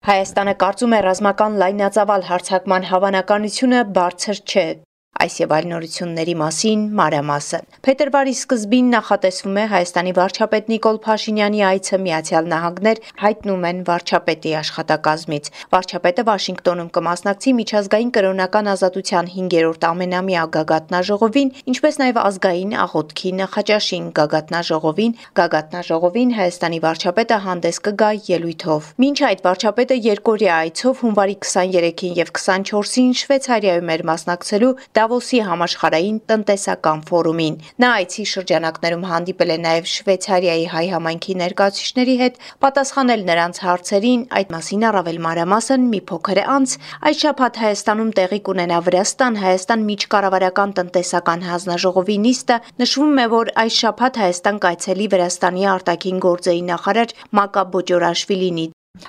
Հայաստանը կարծում է ռազմական լայնածավալ հարձակման հավանականությունը բարձր չէ։ Այս եւ այլ նորությունների մասին մանրամասն։ Փետրվարի սկզբին նախատեսվում է Հայաստանի վարչապետ Նիկոլ Փաշինյանի այցը Միացյալ Նահանգներ, հայտնում են վարչապետի աշխատակազմից։ Վարչապետը Վաշինգտոնում կմասնակցի միջազգային կրոնական ազատության 5-րդ ամենամյա գագաթնաժողովին, ինչպես նաեւ ազգային աղոթքի նախաճաշին գագաթնաժողովին Հայաստանի վարչապետը հանդես կգա ելույթով։ Մինչ այդ վարչապետը երկօրյա այցով հունվարի 23-ին եւ 24-ին Շվեյցարիայում էր մասնակցելու Դավոսի համաշխարհային տնտեսական ֆորումին։ Նա այցի շրջանակներում հանդիպել է նաև Շվեյցարիայի հայ համայնքի ներկայացուցիչների հետ, պատասխանել նրանց հարցերին, այդ մասին առավել մանրամասն մի փոքր անց այս շաբաթ Հայաստանում տեղի կունենա Վրաստան-Հայաստան միջկառավարական տնտեսական հանձնաժողովի նիստը, նշվում է, որ այս շաբաթ Հայաստան կայցելի Վրաստանի արտաքին գործերի նախարար Մակա Բոջորաշվիլին։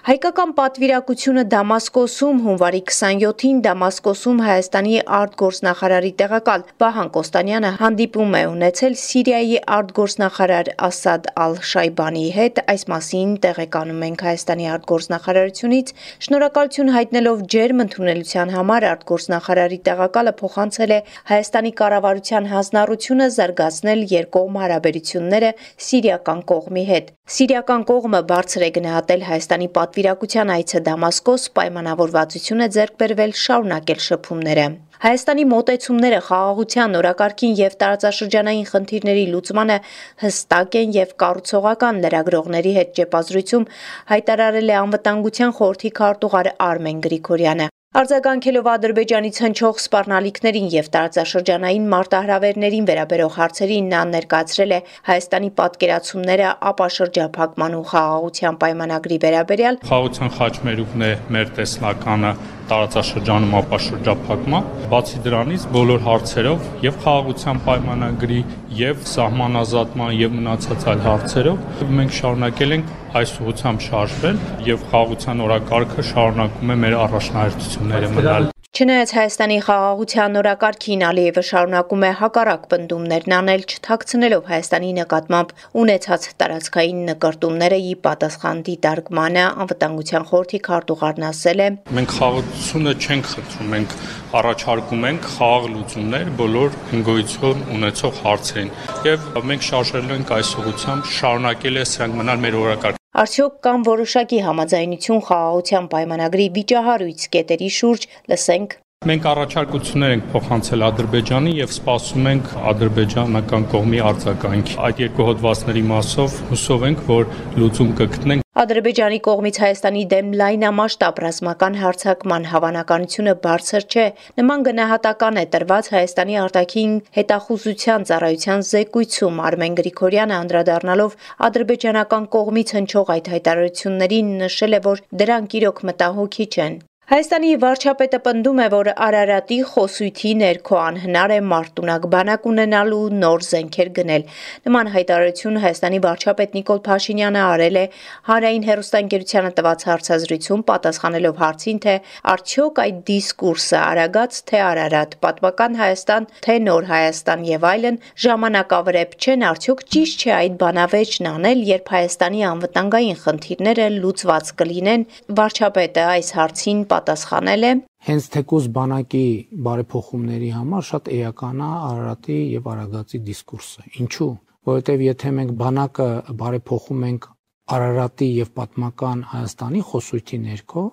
Հայկական պատվիրակությունը Դամասկոսում հունվարի 27-ին Դամասկոսում Հայաստանի արտգործնախարարի տեղակալ Վահան Կոստանյանը հանդիպում է ունեցել Սիրիայի արտգործնախարար Ասադ Ալ-Շայբանիի հետ, այս մասին տեղեկանում ենք Հայաստանի արտգործնախարարությունից, շնորհակալություն հայտնելով ջերմ ընդունելության համար արտգործնախարարի տեղակալը փոխանցել է Հայաստանի կառավարության հանձնառությունը զարգացնել երկկողմ հարաբերությունները սիրիական կողմի հետ։ Սիրիական կողմը բարձր է գնահատել Հայաստանի պատվիրակության այցը Դամասկոս, պայմանավորվածություն է ձեռք բերվել շարունակել շփումները։ Հայաստանի մոտեցումները խաղաղության, օրակարգին եւ տարածաշրջանային խնդիրների լուծմանը հստակ են եւ կառուցողական, լրագրողների հետ ճեպազրույցում հայտարարել է Անվտանգության խորհրդի քարտուղար Արմեն Գրիգորյանը։ Արձագանքելով Ադրբեջանից հնչող սպառնալիքներին եւ տարածաշրջանային մարտահրավերներին վերաբերող հարցերին նա ներկայացրել է Հայաստանի պատկերացումները ապաշրջափակման ու խաղաղության պայմանագրի վերաբերյալ։ Խաղաղության խաչմերուկն է մեր տեսլականը տարածաշրջանում ապաշրջափակման, բացի դրանից բոլոր հարցերով եւ խաղաղության պայմանագրի եւ սահմանազատման եւ մնացած այլ հարցերով մենք շարունակել ենք այս ուղղությամբ շարժվել եւ խաղաղության օրակարգը շարունակում է մեր առաջնահերթությունները մնալ։ Չնայած Հայաստանի խաղաղության օրակարգին Ալիևը շարունակում է հակառակ պնդումներն անել, չթաքցնելով Հայաստանի նկատմամբ ունեցած տարածքային նկրտումները ի պատասխան դիտարկմանը, Անվտանգության խորհրդի քարտուղարն ասել է. Մենք խաղաղությունը չենք խնդրում, մենք առաջարկում ենք խաղաղ լուծումներ բոլոր հնգոյություն ունեցող հարցերին եւ մենք շարժել ենք այս ուղղությամբ, շարունակել է սրանք մնալ մեր օրակարգ։ Արդյոք կան որոշակի համաձայնություն խաղաղության պայմանագրի վիճահարույց կետերի շուրջ, լսենք։ Մենք առաջարկություններ ենք փոխանցել Ադրբեջանին եւ սպասում ենք ադրբեջանական կողմի արձագանքի։ Այդ երկու հոդվածների մասով հուսով ենք, որ լուծում կգտնենք։ Ադրբեջանի կողմից Հայաստանի դեմ լայնամասշտաբ ռազմական հարձակման հավանականությունը բարձր չէ։ Նման գնահատական է տրված Հայաստանի արտաքին հետախուզության ծառայության զեկույցում Արմեն Գրիգորյանը անդրադառնալով ադրբեջանական կողմից հնչող այդ հայտարարություններին նշել է, որ դրանք իրոք մտահոգիչ են։ Հայաստանի վարչապետը պնդում է, որ Արարատի խոսույթի ներքո անհնար է մարտունակ բանակ ունենալու նոր զենքեր գնել։ Նման հայտարարություն Հայաստանի վարչապետ Նիկոլ Փաշինյանը արել է Հանրային հեռուստաընկերությանը տված հարցազրույցում, պատասխանելով հարցին, թե արդյոք այդ դիսկուրսը Արագած թե Արարատ, պատմական Հայաստան թե նոր Հայաստան եւ այլն ժամանակավրեպ չեն, արդյոք ճիշտ չէ այդ բանավեճն անել, երբ Հայաստանի անվտանգային խնդիրները լուծված կլինեն։ Վարչապետը այս հարցին պատասխանել է. Հենց թեկուզ բանակի բարեփոխումների համար շատ էական է Արարատի եւ Արագածի դիսկուրսը։ Ինչու՞։ Որովհետեւ եթե մենք բանակը բարեփոխում ենք Արարատի եւ պատմական Հայաստանի խոսույթի ներքո,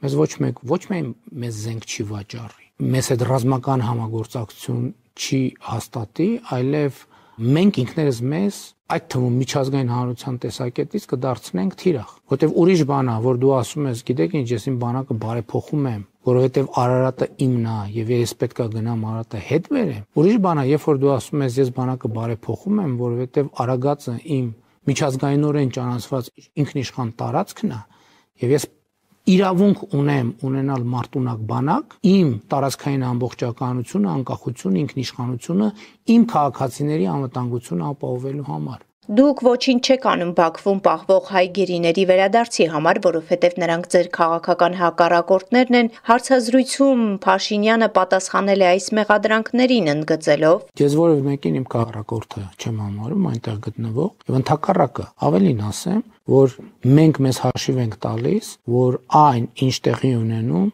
մեզ ոչ միայն մեզ զենք չի վաճառի, մեզ այդ ռազմական համագործակցություն չի հաստատի, այլև մենք ինքներս մեզ այդ թվում միջազգային հանրության տեսակետից կդարձնենք թիրախ, որտեվ ուրիշ բան է, որ դու ասում ես, գիտեք ինչ, ես իմ բանակը բարեփոխում եմ, որովհետև Արարատը իմն է եւ ես պետք է գնամ Արարատը հետ բերեմ։ Ուրիշ բան է, երբ որ դու ասում ես, ես բանակը բարեփոխում եմ, որովհետև Արագածը իմ միջազգայինորեն ճանաչված ինքնիշխան տարածքն է եւ ես իրավունք ունեմ ունենալ մարտունակ բանակ, իմ տարածքային ամբողջականությունը, անկախությունը, ինքնիշխանությունը, իմ քաղաքացիների անվտանգությունը ապահովելու համար։ Դուք ոչինչ չեք անում Բաքվում պահվող հայ գերիների վերադարձի համար, որովհետև նրանք ձեր քաղաքական հակառակորդներն են, հարցազրույցում Փաշինյանը պատասխանել է այս մեղադրանքներին ընդգծելով. Ես որևէ մեկին իմ քաղաքակորդը չեմ համարում այնտեղ գտնվող, եւ ընդհակառակը ավելին ասեմ, որ մենք մեզ հաշիվ ենք տալիս, որ այն ինչ տեղի ունենում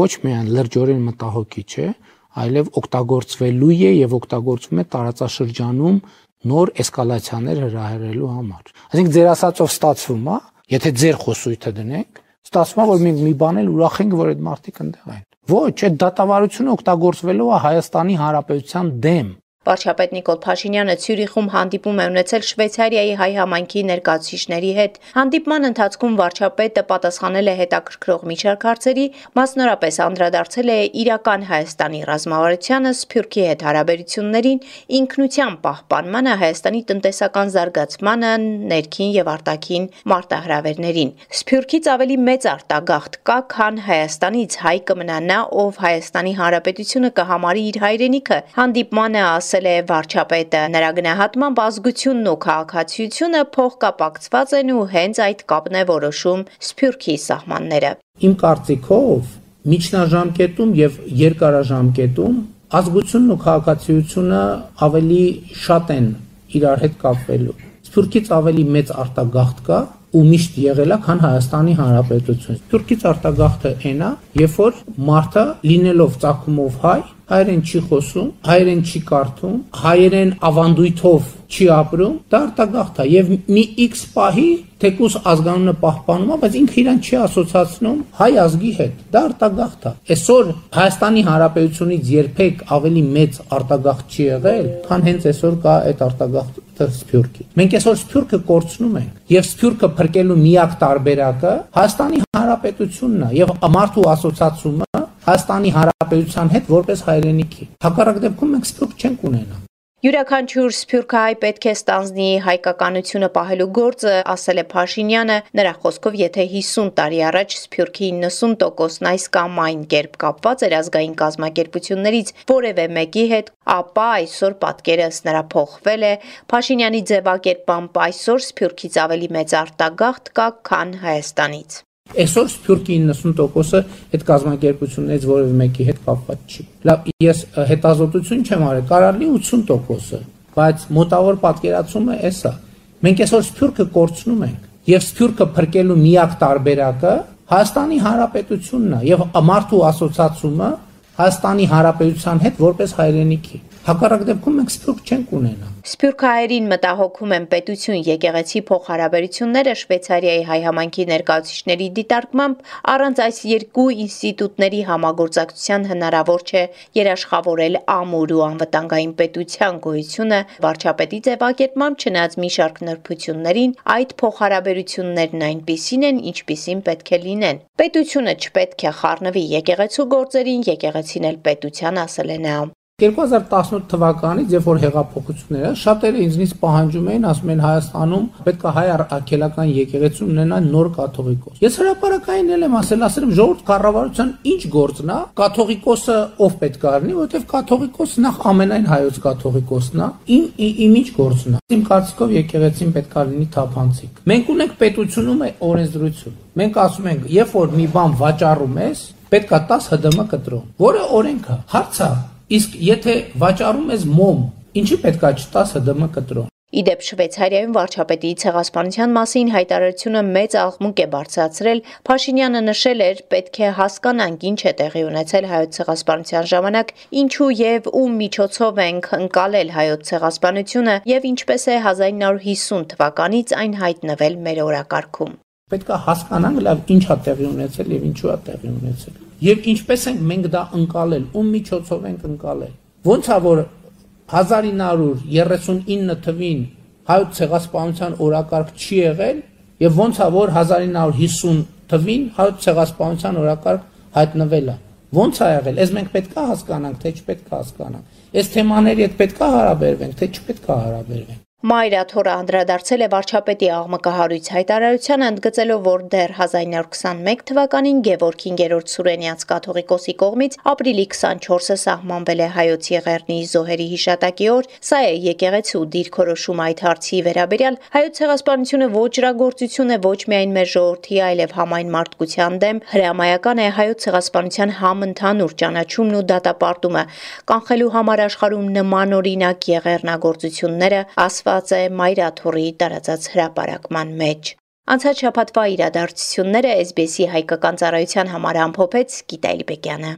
ոչ միայն լրջորեն մտահոգիչ է, այլև օգտագործվելու է եւ օգտագործվում է տարածաշրջանում նոր էսկալացիաներ հրահրելու համար։ Այսինքն ձեր ասածով ստացվում է, եթե ձեր խոսույթը դնենք, ստացվում է, որ մենք մի բան էլ ուրախ ենք, որ այդ մարդիկ ընդեղ են։ Ոչ, այդ դատավարությունը օգտագործվելու է Հայաստանի Հանրապետության դեմ։ Վարչապետ Նիկոլ Փաշինյանը Ցյուրիխում հանդիպում է ունեցել Շվեյցարիայի հայ համայնքի ներկայացուցիչների հետ։ Հանդիպման ընթացքում վարչապետը պատասխանել է հետաքրքրող մի շարք հարցերի, մասնորապես անդրադարձել է իրական Հայաստանի ռազմավարությանը, Սփյուռքի հետ հարաբերություններին, ինքնության պահպանմանը, Հայաստանի տնտեսական զարգացմանը, ներքին եւ արտաքին մարտահրավերներին։ Սփյուռքից ավելի մեծ արտագաղթ կա, քան Հայաստանից հայ կմնա նա, ով Հայաստանի Հանրապետությունը կհամարի իր հայրենիքը։ Հանդիպմանը ասել է վարչապետը, նրա գնահատմամբ ազգությունն ու քաղաքացիությունը փոխկապակցված են ու հենց այդ կապն է որոշում Սփյուռքի սահմանները։ Իմ կարծիքով միջնաժամկետում եւ երկարաժամկետում ազգությունն ու քաղաքացիությունը ավելի շատ են իրար հետ կապվելու։ Սփյուռքից ավելի մեծ արտագաղթ կա ու միշտ եղել է, քան Հայաստանի Հանրապետություն։ Սփյուռքից արտագաղթը այն է, երբ որ մարդը լինելով ծագումով հայ, հայերեն չի խոսում, հայերեն չի կարդում, հայերեն ավանդույթով չի ապրում, դա արտագաղթ է եւ մի X պահի թեկուս ազգանունը պահպանում է, բայց ինքը իրան չի ասոցացնում հայ ազգի հետ։ Դա արտագաղթ է։ Այսօր Հայաստանի Հանրապետությունից երբեք ավելի մեծ արտագաղթ չի եղել, քան հենց այսօր կա այդ արտագաղթը Սփյուռքի։ Մենք այսօր Սփյուռքը կորցնում ենք եւ Սփյուռքը փրկելու միակ տարբերակը Հայաստանի Հանրապետությունն է եւ մարդու ասոցացումը Հայաստանի Հանրապետության հետ որպես հայրենիքի։ Հակառակ դեպքում մենք Սփյուռք չենք ունենա։ Յուրաքանչյուր սփյուռքահայ պետք է ստանձնի հայկականությունը պահելու գործը, ասել է Փաշինյանը, նրա խոսքով, եթե 50 տարի առաջ Սփյուռքի 90%-ն այս կամ այն կերպ կապված էր ազգային կազմակերպություններից որևէ մեկի հետ, ապա այսօր պատկերը ըստ նրա փոխվել է։ Փաշինյանի ձևակերպամբ այսօր Սփյուռքից ավելի մեծ արտագաղթ կա, քան Հայաստանից։ Այսօր Սփյուռքի 90%-ը այդ կազմակերպություններից որևէ մեկի հետ կապված չի։ Լավ, ես հետազոտություն չեմ արել, կարելի 80%-ը, բայց մոտավոր պատկերացումը էսա։ Մենք այսօր Սփյուռքը կորցնում ենք եւ Սփյուռքը փրկելու միակ տարբերակը Հայաստանի Հանրապետությունն է եւ մարդու ասոցացումը Հայաստանի Հանրապետության հետ որպես հայրենիքի։ Հակառակ դեպքում մենք Սփյուռք չենք ունենա։ Սփյուռքահայերին մտահոգում են պետություն եկեղեցի փոխհարաբերությունները Շվեյցարիայի հայ համայնքի ներկայացուցիչների դիտարկմամբ առանց այս երկու ինստիտուտների համագործակցության հնարավոր չէ երաշխավորել ամուր ու անվտանգային պետության գոյությունը։ Վարչապետի ձևակերպմամբ չնայած մի շարք նրբություններին, այդ փոխհարաբերություններն այնպիսին են, ինչպիսին պետք է լինեն։ Պետությունը չպետք է խառնվի եկեղեցու գործերին, եկեղեցին էլ պետության, ասել է նա։ 2018 թվականից, երբ որ հեղափոխությունները, շատերը ինձնից պահանջում էին, ասում են Հայաստանում պետք է հայ արգելական եկեղեցու ունենա նոր կաթողիկոս։ Ես հրապարակային եմ ասել եմ ժողովուրդ կառավարության ինչ գործն է, կաթողիկոսը ով պետք է լինի, որովհետև կաթողիկոսը նախ ամենայն հայոց կաթողիկոսն է, իմ ինչ գործն է։ Իմ կարծիքով եկեղեցին պետք է լինի թափանցիկ։ Մենք ունենք պետությունում օրենսդրություն։ Մենք ասում ենք, երբ որ մի բան վաճառում ես, պետք է 10 ՀԴՄ կտրում, որը օրենք է, հարց է։ Իսկ եթե վաճառում ես մոմ, ինչի պետքա չտաս ՀԴՄ կտրոն։ Իդեպ Շվեյցարիայում վարչապետի ցեղասպանության մասին հայտարարությունը մեծ աղմուկ է բարձրացրել։ Փաշինյանը նշել էր, պետք է հասկանանք ինչ է տեղի ունեցել հայոց ցեղասպանության ժամանակ, ինչու եւ ում միջոցով ենք ընկալել հայոց ցեղասպանությունը եւ ինչպես է 1950 թվականից այն հայտնվել մեր օրակարգում։ Պետք է հասկանանք լավ ինչ է տեղի ունեցել եւ ինչու է տեղի ունեցել։ Եվ ինչպես ենք մենք դա ընկալել, ում միջոցով ենք ընկալել։ Ոնց է որ 1939 թվին հայոց ցեղասպանության օրակարգ չի եղել եւ ոնց է որ 1950 թվին հայոց ցեղասպանության օրակարգ հայտնվել է։ Ոնց է եղել։ Այս մենք պետք է հասկանանք, թե չպետք է հասկանանք։ Այս թեմաների հետ պետք է հարաբերվենք, թե չպետք է հարաբերվենք։ Մայրաթորը անդրադարձել է վարչապետի աղմկահարույց հայտարարությանը, ընդգծելով, որ դեռ 1921 թվականին Գևորգ 5-րդ Սուրենյանց կաթողիկոսի կողմից ապրիլի 24-ը սահմանվել է Հայոց Եղեռնի զոհերի հիշատակի օր, սա է եկեղեցու դիրքորոշումը այդ հարցի վերաբերյալ։ Հայոց ցեղասպանությունը ոճրագործություն է ոչ միայն մեր ժողովրդի, այլև համայն մարդկության դեմ, հրամայական է Հայոց ցեղասպանության համընդհանուր ճանաչումն ու դատապարտումը, կանխելու համար աշխարհում նմանօրինակ եղեռնագործությունները, ասված է Մայրաթորի տարածած հրապարակման մեջ։ Անցած շաբաթվա իրադարձությունները SBS-ի հայկական ծառայության համար ամփոփեց Գիտալի Բեկյանը։